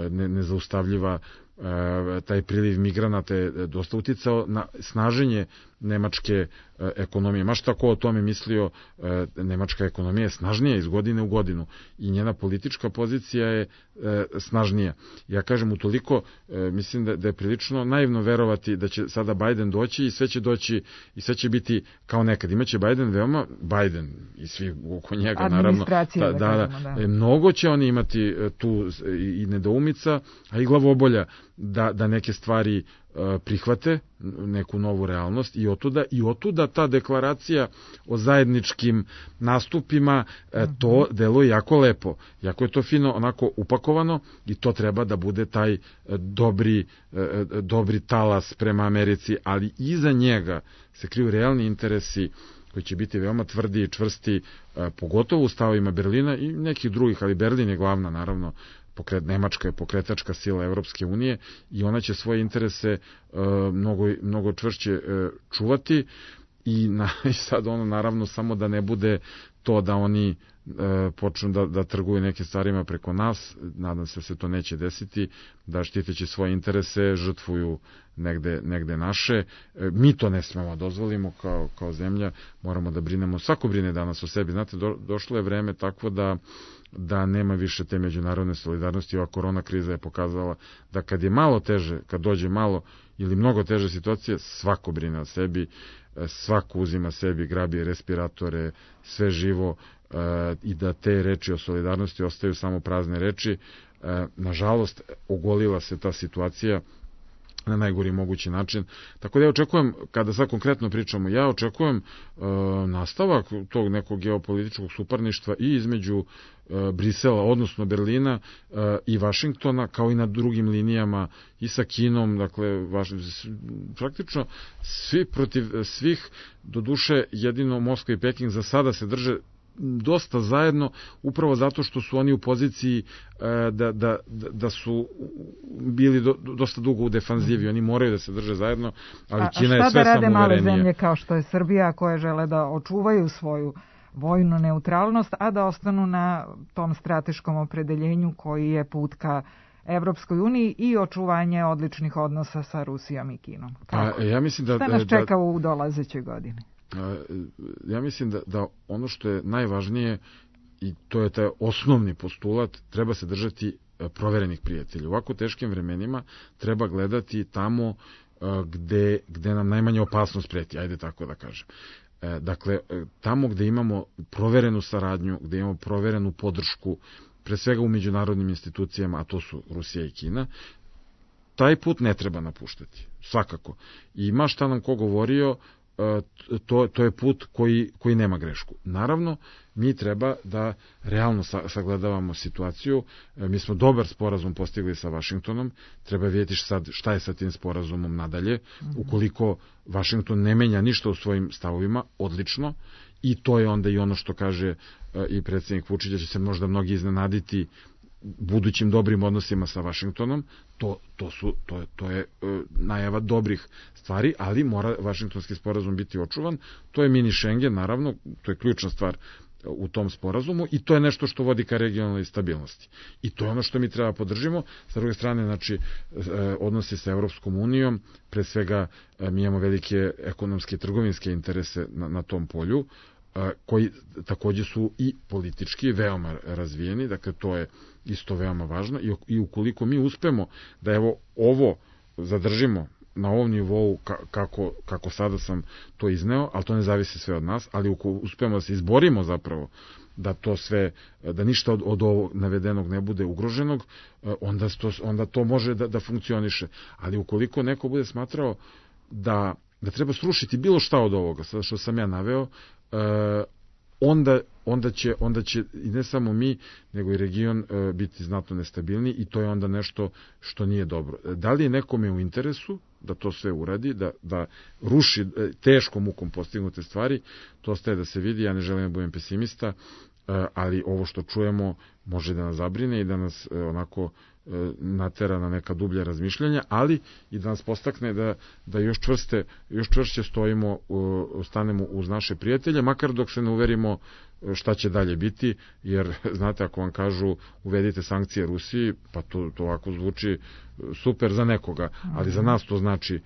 S9: nezaustavljiva, taj priliv migranata je dosta uticao na snaženje nemačke ekonomije. Maš tako o tome mislio, nemačka ekonomija je snažnija iz godine u godinu i njena politička pozicija je snažnija. Ja kažem, utoliko mislim da je prilično naivno verovati da će sada Biden doći i sve će doći i sve će biti kao nekad. Imaće Biden i svi oko njega, naravno. Mnogo će oni imati tu i nedoumica, a i glavobolja da neke stvari prihvate, neku novu realnost i otuda ta deklaracija o zajedničkim nastupima, to deluje jako lepo, jako je to fino onako upakovano i to treba da bude taj dobri talas prema Americi, ali iza njega se kriju realni interesi koji će biti veoma tvrdi i čvrsti, pogotovo u stavovima Berlina i nekih drugih, ali Berlin je glavna, naravno. Nemačka je pokretačka sila Evropske unije i ona će svoje interese mnogo čvršće čuvati i sad naravno samo da ne bude to da oni počnu da trguju nekim stvarima preko nas, nadam se da se to neće desiti, da štiteći svoje interese žrtvuju negde naše. Mi to ne smemo dozvolimo kao zemlja, moramo da brinemo, svako brine danas o sebi. Znate, došlo je vreme takvo da nema više te međunarodne solidarnosti. Ova korona kriza je pokazala da kad je malo teže, kad dođe malo ili mnogo teže situacije, svako brine o sebi, svako uzima sebi, grabi respiratore, sve živo, i da te reči o solidarnosti ostaju samo prazne reči. Nažalost, ogolila se ta situacija na najgori mogući način. Tako da ja očekujem, kada sad konkretno pričamo, ja očekujem nastavak tog nekog geopolitičkog suparništva i između Brisela, odnosno Berlina i Vašingtona, kao i na drugim linijama i sa Kinom, dakle, praktično svi protiv svih, doduše jedino Moskva i Peking za sada se drže dosta zajedno, upravo zato što su oni u poziciji da su bili dosta dugo u defanzivi, oni moraju da se drže zajedno, ali Kina je sve samouverenije. A šta da rade male
S3: zemlje kao što je Srbija, koje žele da očuvaju svoju vojnu neutralnost, a da ostanu na tom strateškom opredeljenju koji je put ka Evropskoj uniji i očuvanje odličnih odnosa sa Rusijom i Kinom?
S9: Ja mislim
S3: šta nas čeka u dolazećoj godini?
S9: Ja mislim da ono što je najvažnije, i to je taj osnovni postulat, treba se držati proverenih prijatelja. U ovako teškim vremenima treba gledati tamo gde nam najmanje opasnost preti, ajde tako da kažem. Dakle, tamo gde imamo proverenu saradnju, gde imamo proverenu podršku, pre svega u međunarodnim institucijama, a to su Rusija i Kina, taj put ne treba napuštati, svakako. I ma šta nam ko govorio, to je put koji nema grešku. Naravno, mi treba da realno sagledavamo situaciju. Mi smo dobar sporazum postigli sa Vašingtonom, treba vidjeti šta je sa tim sporazumom nadalje. Ukoliko Vašington ne menja ništa u svojim stavovima, odlično, i to je onda i ono što kaže i predsjednik Vučić, da će se možda mnogi iznenaditi budućim dobrim odnosima sa Vašingtonom, to je najava dobrih stvari, ali mora Vašingtonski sporazum biti očuvan. To je mini Schengen, naravno, to je ključna stvar u tom sporazumu i to je nešto što vodi ka regionalnoj stabilnosti. I to je ono što mi treba podržimo. Sa druge strane, znači, odnosi sa Evropskom unijom, pre svega mi imamo velike ekonomske i trgovinske interese na tom polju, koji takođe su i politički veoma razvijeni, dakle to je isto veoma važno i ukoliko mi uspemo da evo ovo zadržimo na ovom nivou kako sada sam to izneo, ali to ne zavisi sve od nas, ali ukoliko uspemo da se izborimo zapravo da to sve, da ništa od ovog navedenog ne bude ugroženog, onda to može da funkcioniše. Ali ukoliko neko bude smatrao da treba srušiti bilo šta od ovoga, sada što sam ja naveo, onda će i ne samo mi, nego i region biti znatno nestabilniji i to je onda nešto što nije dobro. Da li je nekome u interesu da to sve uradi, da ruši teškom mukom postignute stvari, to ostaje da se vidi, ja ne želim da budem pesimista, ali ovo što čujemo može da nas zabrine i da nas onako natera na neka dublja razmišljanja, ali i da nas postakne da još čvršće stanemo uz naše prijatelje, makar dok se ne uverimo šta će dalje biti, jer znate, ako vam kažu uvedite sankcije Rusiji, pa to ovako zvuči super za nekoga, ali za nas to znači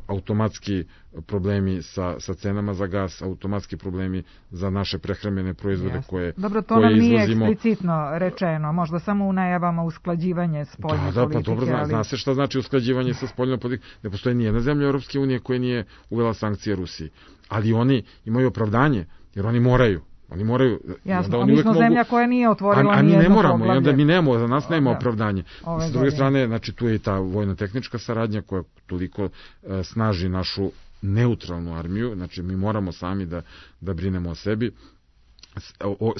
S9: automatski problemi sa cenama za gas, automatski problemi za naše prehrambene proizvode koje izvozimo.
S3: Dobro, to nam nije eksplicitno rečeno, možda samo u najavama usklađivanje spoljne politike.
S9: Pa dobro, zna se šta znači usklađivanje sa spoljnom politikom. Ne postoji nijedna zemlja Europske unije koja nije uvela sankcije Rusiji, ali oni imaju opravdanje, jer oni moraju.
S3: Jasno, mi smo zemlja koja nije otvorila nijedno poglavlje.
S9: A mi ne moramo, i onda mi nemamo, za nas nema opravdanje. S druge strane, znači, tu je i ta vojno-tehnička saradnja koja toliko snaži našu neutralnu armiju, znači mi moramo sami da brinemo o sebi.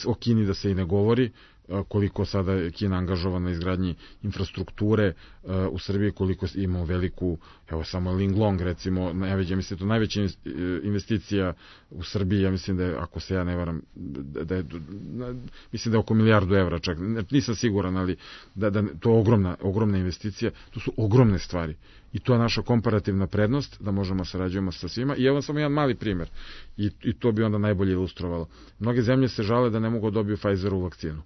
S9: O Kini da se i ne govori, koliko sada je Kina angažovana na izgradnji infrastrukture u Srbiji, koliko imamo veliku, evo samo Linglong recimo, ja mislim to najveća investicija u Srbiji, ja mislim da je, ako se ja ne varam, mislim da je oko €1.000.000.000 čak, nisam siguran, ali to je ogromna investicija, to su ogromne stvari. I to je naša komparativna prednost, da možemo sarađujemo sa svima. I evo samo jedan mali primer, i to bi onda najbolje ilustrovalo. Mnoge zemlje se žale da ne mogu dobiju Pfizerovu vakcinu.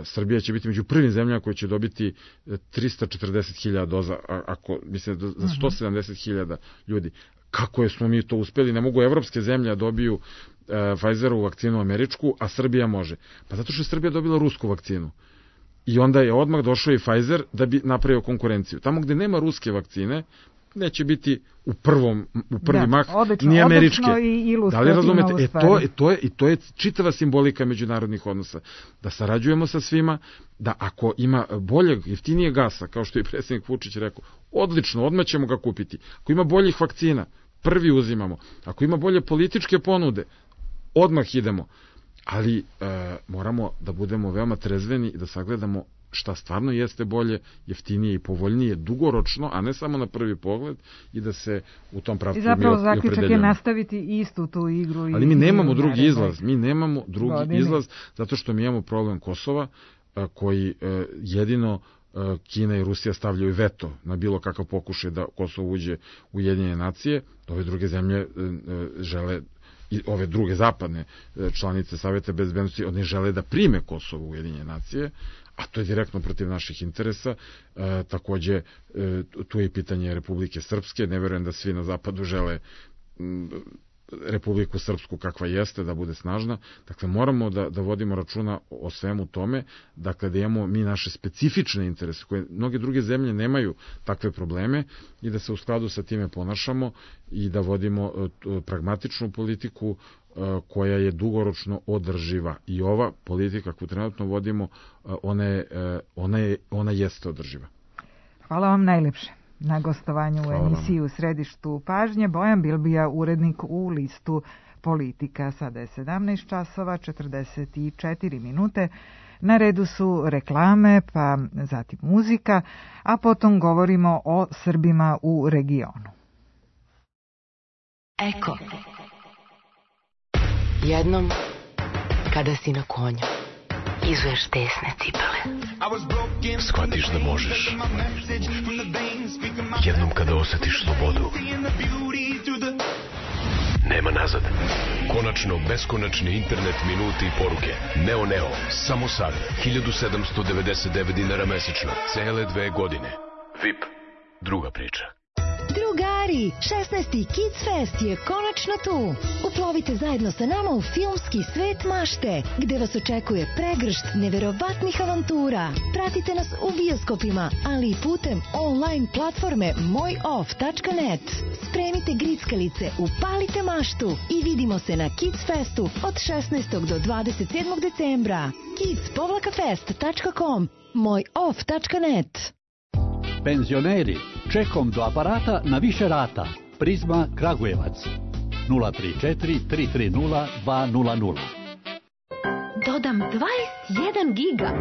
S9: Srbija će biti među prvim zemljama koje će dobiti 340.000 doza, mislim za 170.000 ljudi. Kako smo mi to uspeli? Ne mogu evropske zemlje dobiju Pfizerovu vakcinu američku, a Srbija može. Pa zato što je Srbija dobila rusku vakcinu. I onda je odmah došao i Pfizer da bi napravio konkurenciju. Tamo gde nema ruske vakcine, neće biti u prvi mah ni američke. Da li razumete? To je čitava simbolika međunarodnih odnosa. Da sarađujemo sa svima, da ako ima boljeg, jeftinije gasa, kao što je predsjednik Vučić rekao, odlično, odmah ćemo ga kupiti. Ako ima boljih vakcina, prvi uzimamo. Ako ima bolje političke ponude, odmah idemo. Ali moramo da budemo veoma trezveni i da sagledamo šta stvarno jeste bolje, jeftinije i povoljnije dugoročno, a ne samo na prvi pogled, i da se u tom pravcu mi opredeljamo.
S3: I zapravo zaključak je nastaviti istu tu igru.
S9: Ali mi nemamo drugi izlaz, zato što mi imamo problem Kosova, koji jedino Kina i Rusija stavljaju veto na bilo kakav pokušaj da Kosovo uđe u Ujedinjene nacije. Ove druge zemlje žele, i ove druge zapadne članice Saveta bezbednosti, oni žele da prime Kosovo u Ujedinjene nacije, a to je direktno protiv naših interesa. Takođe, tu je i pitanje Republike Srpske. Ne verujem da svi na zapadu žele Republiku Srpsku kakva jeste, da bude snažna. Dakle, moramo da vodimo računa o svemu tome, dakle, da imamo mi naše specifične interese, koje mnoge druge zemlje nemaju takve probleme, i da se u skladu sa time ponašamo i da vodimo pragmatičnu politiku koja je dugoročno održiva. I ova politika koju trenutno vodimo, ona jeste održiva.
S3: Hvala vam najlepše na gostovanju u emisiji U središtu pažnje. Bojan Bilbija, urednik u listu Politika. Sada je 17:44. Na redu su reklame, pa zatim muzika, a potom govorimo o Srbima u regionu.
S2: Eko. Jednom, kada si na konju,
S10: izuješ tesne cipele.
S11: Shvatiš da možeš. Jednom kada osjetiš slobodu, nema nazad. Konačno beskonačni internet, minuti i poruke. Neo, samo sad. 1799 dinara mesečno. Cele 2 godine. VIP. Druga priča.
S12: Drugari, 16. Kids Fest je konačno tu. Uplovite zajedno sa nama u filmski svet mašte, gde vas očekuje pregršt neverovatnih avantura. Pratite nas u bioskopima, ali i putem online platforme mojoff.net. Spremite grickalice, upalite maštu i vidimo se na Kids Festu od 16. do 27. decembra. kids-fest.com, mojoff.net.
S13: Penzioneri, čekom do aparata na više rata. Prizma Kragujevac 034 330 200.
S14: Dodam 21 giga.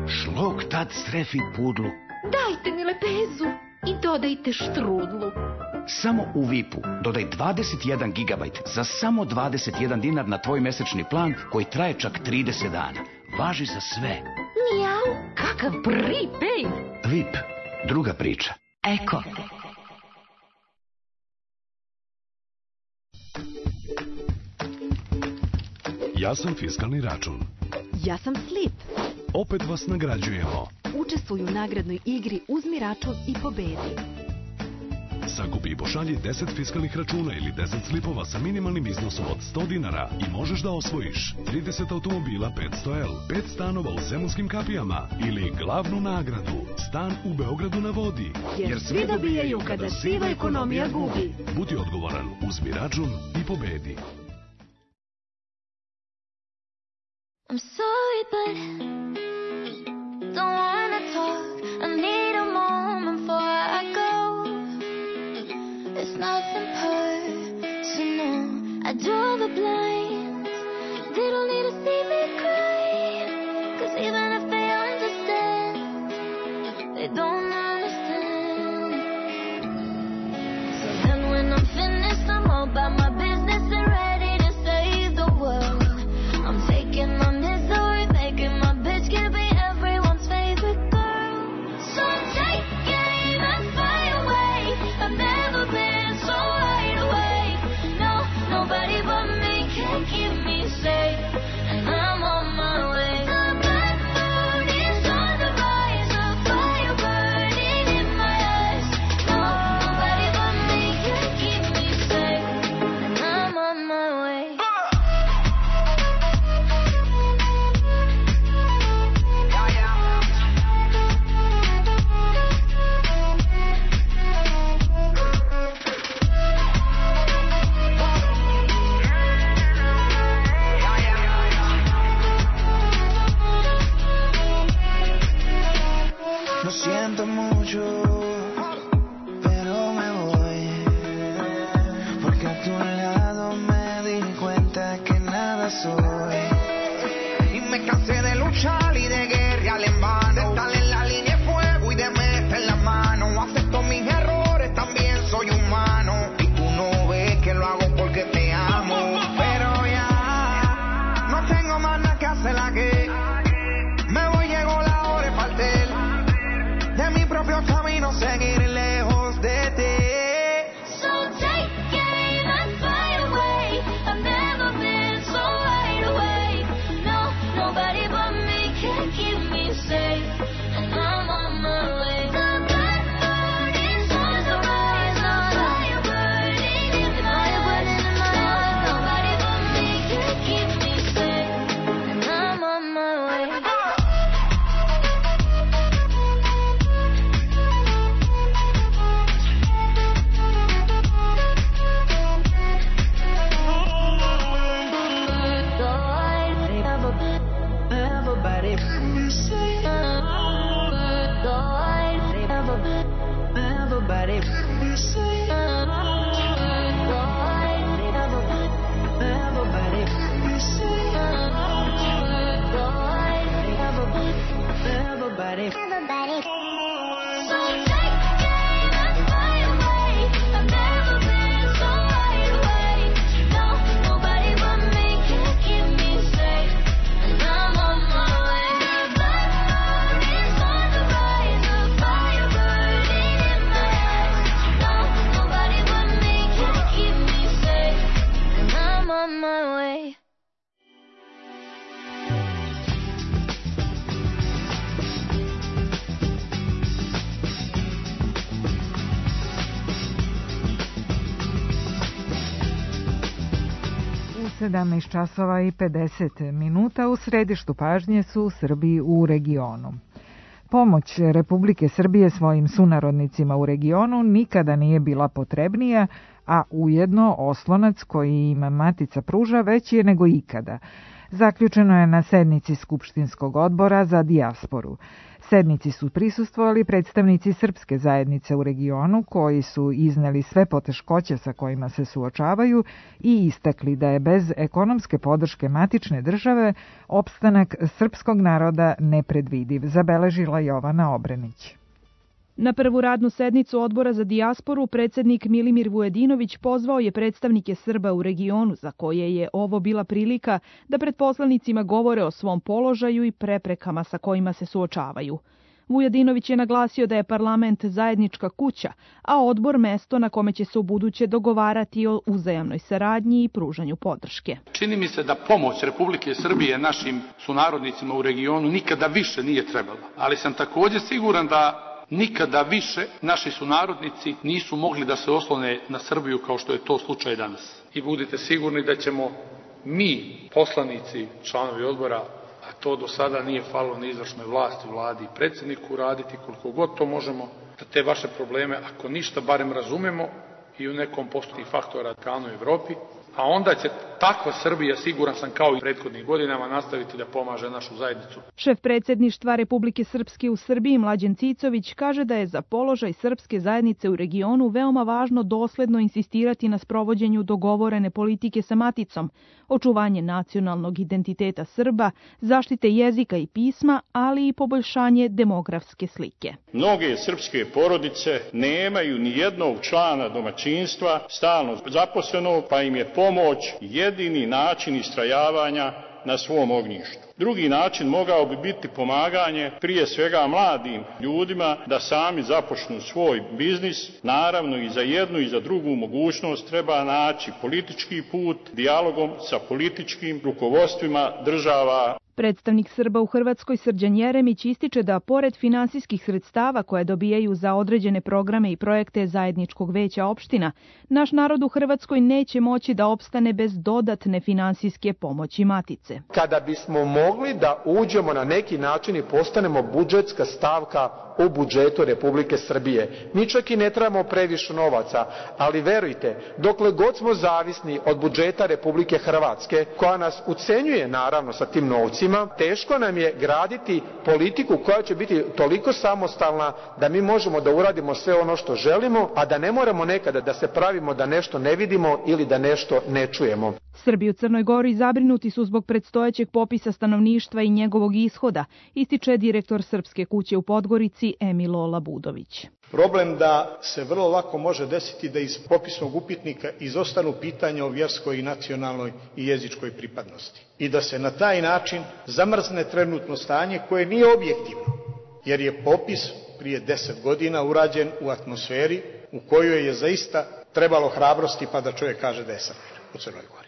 S15: Šlok tad strefi pudlu.
S14: Dajte mi lepezu i dodajte štrudlu.
S15: Samo u VIP-u dodaj 21 gigabajt za samo 21 dinar na tvoj mesečni plan koji traje čak 30 dana. Važi za sve.
S14: Mijau, kakav prepaid.
S15: VIP. Druga priča.
S14: Eko.
S11: Ja sam fiskalni račun.
S16: Ja sam Slip.
S11: Opet vas nagrađujemo.
S16: Učestvuj u nagradnoj igri Uzmi račun i pobedi.
S11: Sakupi i pošalji 10 fiskalnih računa ili 10 slipova sa minimalnim iznosom od 100 dinara i možeš da osvojiš 30 automobila 500L, 5 stanova u Zemunskim kapijama ili glavnu nagradu, stan u Beogradu na vodi.
S16: Jer svi dobijaju kada siva ekonomija gubi.
S11: Budi odgovoran, uzmi račun i pobedi.
S17: I'm sorry, but don't wanna talk. I need a moment before I go. It's nothing personal. I draw the blinds. They don't need to see me cry. 'Cause even if they understand, they don't understand. So then when I'm finished, I'm all about my business and ready to save the world. I'm taking my misery, making my bitch can be everyone's favorite girl. So take aim and fly away. I've never been so wide awake. No, nobody but me can keep me safe. And I'm on my way. The black moon is on the rise, a fire burning in my eyes. No, nobody but me can keep me safe. And I'm on my way.
S18: Lo siento mucho, pero me voy, porque a tu lado me di cuenta que nada soy. Y me cansé de luchar y de guerrear en vano, de estar en la línea de fuego y de meter la mano. Acepto mis errores, también soy humano, y tú no ves que lo hago porque te amo. Pero ya no tengo más nada que hacer aquí. Me voy, llegó la hora de partir de mi propio camino, seguir lejos de ti.
S17: So take aim and fly away. I've never been so wide awake. No, nobody but me can keep me safe. And I'm on my way. The black moon is on the rise, a fire burning in my eyes. Nobody but me can keep me safe. And I'm on my way. Nobody but me can keep me safe. And I'm on my way.
S3: 17 časova i 50 minuta. U središtu pažnje su Srbi u regionu. Pomoć Republike Srbije svojim sunarodnicima u regionu nikada nije bila potrebnija, a ujedno oslonac koji im Matica pruža veći je nego ikada. Zaključeno je na sednici Skupštinskog odbora za dijasporu. Sednici su prisustvovali predstavnici srpske zajednice u regionu koji su izneli sve poteškoće sa kojima se suočavaju i istakli da je bez ekonomske podrške matične države opstanak srpskog naroda nepredvidiv, zabeležila Jovana Obrenić.
S19: Na prvu radnu sednicu Odbora za dijasporu predsednik Milimir Vujadinović pozvao je predstavnike Srba u regionu za koje je ovo bila prilika da pred poslanicima govore o svom položaju i preprekama sa kojima se suočavaju. Vujadinović je naglasio da je parlament zajednička kuća, a odbor mesto na kome će se ubuduće dogovarati o uzajamnoj saradnji i pružanju podrške.
S20: Čini mi se da pomoć Republike Srbije našim sunarodnicima u regionu nikada više nije trebala, ali sam također siguran da nikada više naši sunarodnici nisu mogli da se oslone na Srbiju kao što je to slučaj danas. I budite sigurni da ćemo mi, poslanici, članovi odbora, a to do sada nije falilo ni izvršnoj vlasti, vladi i predsjedniku, raditi koliko god to možemo, da te vaše probleme, ako ništa, barem razumemo i u nekom postoji faktora u Evropi, a onda će takva Srbija, siguran sam kao i prethodnih godinama, nastaviti da pomaže našu zajednicu.
S19: Šef predsjedništva Republike Srpske u Srbiji Mlađan Cicović kaže da je za položaj srpske zajednice u regionu veoma važno dosledno insistirati na sprovođenju dogovorene politike sa maticom, očuvanje nacionalnog identiteta Srba, zaštite jezika i pisma, ali i poboljšanje demografske slike.
S21: Mnoge srpske porodice nemaju ni jednog člana domaćinstva stalno zaposlenog, pa im je pomoć jedini način istrajavanja na svom ognjištu. Drugi način mogao bi biti pomaganje prije svega mladim ljudima da sami započnu svoj biznis. Naravno i za jednu i za drugu mogućnost treba naći politički put dijalogom sa političkim rukovodstvima država.
S19: Predstavnik Srba u Hrvatskoj Srđan Jeremić ističe da pored finansijskih sredstava koje dobijaju za određene programe i projekte zajedničkog veća opština, naš narod u Hrvatskoj neće moći da opstane bez dodatne finansijske pomoći matice.
S22: Kada bismo mogli da uđemo na neki način i postanemo budžetska stavka u budžetu Republike Srbije. Mi čak i ne trebamo previše novaca, ali verujte, dokle god smo zavisni od budžeta Republike Hrvatske, koja nas ucenjuje naravno sa tim novcima, teško nam je graditi politiku koja će biti toliko samostalna da mi možemo da uradimo sve ono što želimo, a da ne moramo nekada da se pravimo da nešto ne vidimo ili da nešto ne čujemo.
S19: Srbi u Crnoj Gori zabrinuti su zbog predstojećeg popisa stanovništva i njegovog ishoda, ističe direktor Srpske kuće u Podgorici Emilo Labudović.
S23: Problem da se vrlo lako može desiti da iz popisnog upitnika izostanu pitanja o vjerskoj i nacionalnoj i jezičkoj pripadnosti. I da se na taj način zamrzne trenutno stanje koje nije objektivno, jer je popis prije 10 godina urađen u atmosferi u kojoj je zaista trebalo hrabrosti pa da čovjek kaže da je Srbin u Crnoj Gori.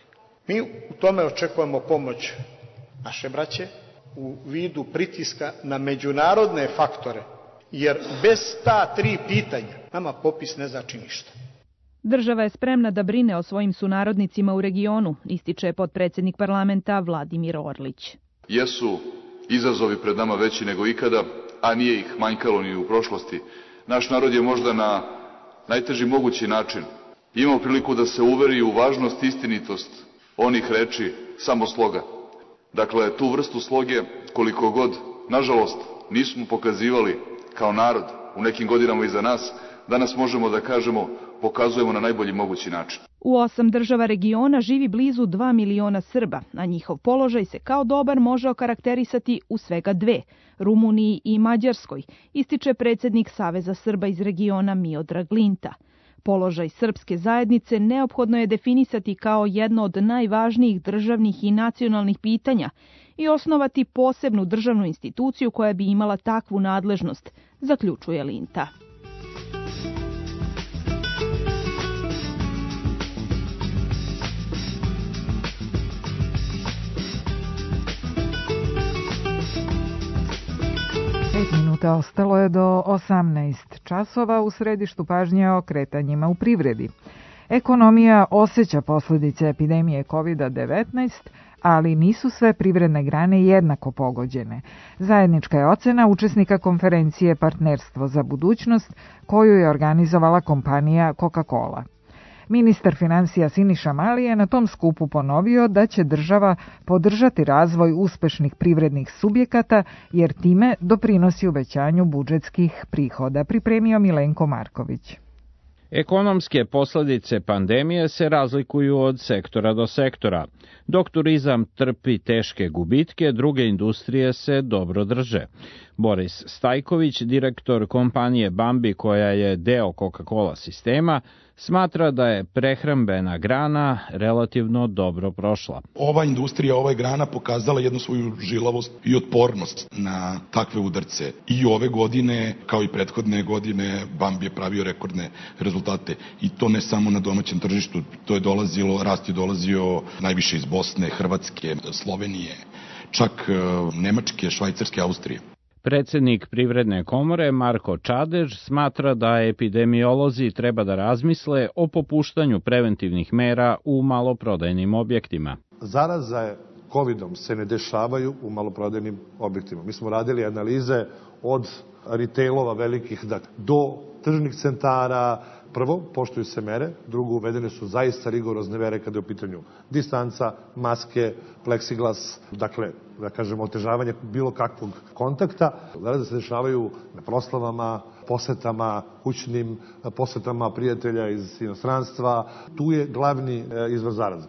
S23: Mi u tome očekujemo pomoć naše braće u vidu pritiska na međunarodne faktore, jer bez ta 3 pitanja nama popis ne znači ništa.
S19: Država je spremna da brine o svojim sunarodnicima u regionu, ističe potpredsjednik parlamenta Vladimir Orlić.
S24: Jesu izazovi pred nama veći nego ikada, a nije ih manjkalo ni u prošlosti. Naš narod je možda na najteži mogući način imao priliku da se uveri u važnost i istinitost onih reči samo sloga. Dakle, tu vrstu sloge, koliko god, nažalost, nismo pokazivali kao narod u nekim godinama iza nas, danas možemo da kažemo pokazujemo na najbolji mogući način.
S19: U 8 država regiona živi blizu 2 miliona Srba, a njihov položaj se kao dobar može okarakterisati u svega 2, Rumuniji i Mađarskoj, ističe predsjednik Saveza Srba iz regiona Miodrag Linta. Položaj srpske zajednice neophodno je definisati kao jedno od najvažnijih državnih i nacionalnih pitanja i osnovati posebnu državnu instituciju koja bi imala takvu nadležnost, zaključuje Linta.
S3: Minuta ostalo je do 18 časova. U središtu pažnje o kretanjima u privredi. Ekonomija osjeća posljedice epidemije COVID-19, ali nisu sve privredne grane jednako pogođene. Zajednička je ocena učesnika konferencije Partnerstvo za budućnost, koju je organizovala kompanija Coca-Cola. Ministar financija Siniša Mali je na tom skupu ponovio da će država podržati razvoj uspešnih privrednih subjekata, jer time doprinosi uvećanju budžetskih prihoda, pripremio Milenko Marković.
S1: Ekonomske posljedice pandemije se razlikuju od sektora do sektora. Dok turizam trpi teške gubitke, druge industrije se dobro drže. Boris Stajković, direktor kompanije Bambi, koja je deo Coca-Cola sistema, smatra da je prehrambena grana relativno dobro prošla.
S5: Ova industrija, ova grana pokazala jednu svoju žilavost i otpornost na takve udarce. I ove godine, kao i prethodne godine, Bambi je pravio rekordne rezultate. I to ne samo na domaćem tržištu, rast je dolazio najviše iz Bosne, Hrvatske, Slovenije, čak Nemačke, Švajcarske, Austrije.
S1: Predsjednik Privredne komore Marko Čadež smatra da epidemiolozi treba da razmisle o popuštanju preventivnih mera u maloprodajnim objektima.
S6: Zaraza COVID-om se ne dešavaju u maloprodajnim objektima. Mi smo radili analize od retailova velikih do tržnih centara. Prvo, poštuju se mere, drugo, uvedene su zaista rigorozne mere kada je u pitanju distanca, maske, pleksiglas, dakle, da kažemo, otežavanje bilo kakvog kontakta. Zaraze se dešavaju na proslavama, posetama, kućnim posetama prijatelja iz inostranstva. Tu je glavni izvor zaraze.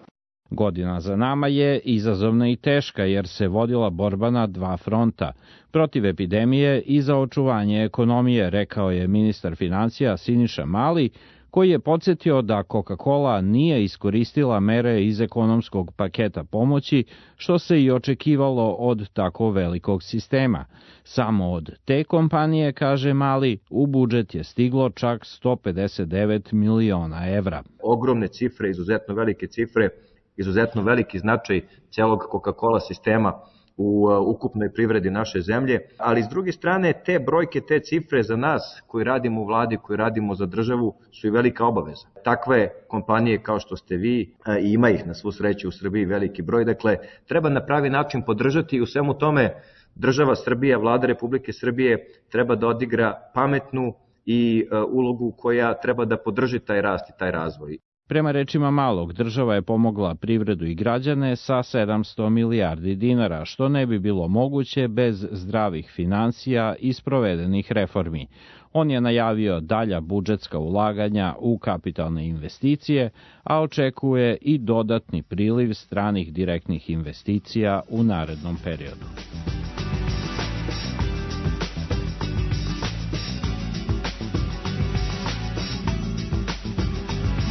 S1: Godina za nama je izazovna i teška jer se vodila borba na dva fronta. Protiv epidemije i za očuvanje ekonomije, rekao je ministar financija Siniša Mali, koji je podsjetio da Coca-Cola nije iskoristila mere iz ekonomskog paketa pomoći, što se i očekivalo od tako velikog sistema. Samo od te kompanije, kaže Mali, u budžet je stiglo čak 159 miliona evra.
S7: Ogromne cifre, izuzetno velike cifre, izuzetno veliki značaj celog Coca-Cola sistema u ukupnoj privredi naše zemlje, ali s druge strane te brojke, te cifre za nas koji radimo u vladi, koji radimo za državu su i velika obaveza. Takve kompanije kao što ste vi, i ima ih na svu sreću u Srbiji veliki broj, dakle treba na pravi način podržati i u svemu tome država Srbija, vlada Republike Srbije treba da odigra pametnu i ulogu koja treba da podrži taj rast i taj razvoj.
S1: Prema rečima Malog, država je pomogla privredu i građane sa 700 milijardi dinara, što ne bi bilo moguće bez zdravih financija i sprovedenih reformi. On je najavio dalja budžetska ulaganja u kapitalne investicije, a očekuje i dodatni priliv stranih direktnih investicija u narednom periodu.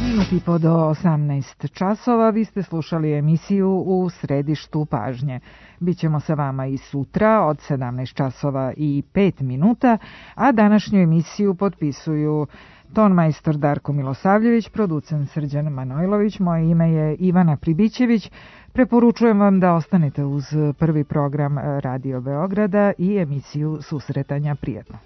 S3: Minut i po do 18 časova vi ste slušali emisiju U središtu pažnje. Bićemo sa vama i sutra od 17 časova i 5 minuta, a današnju emisiju potpisuju tonmajstor Darko Milosavljević, producent Srđan Manojlović, moje ime je Ivana Pribićević. Preporučujem vam da ostanete uz prvi program Radio Beograda i emisiju Susretanja. Prijetno.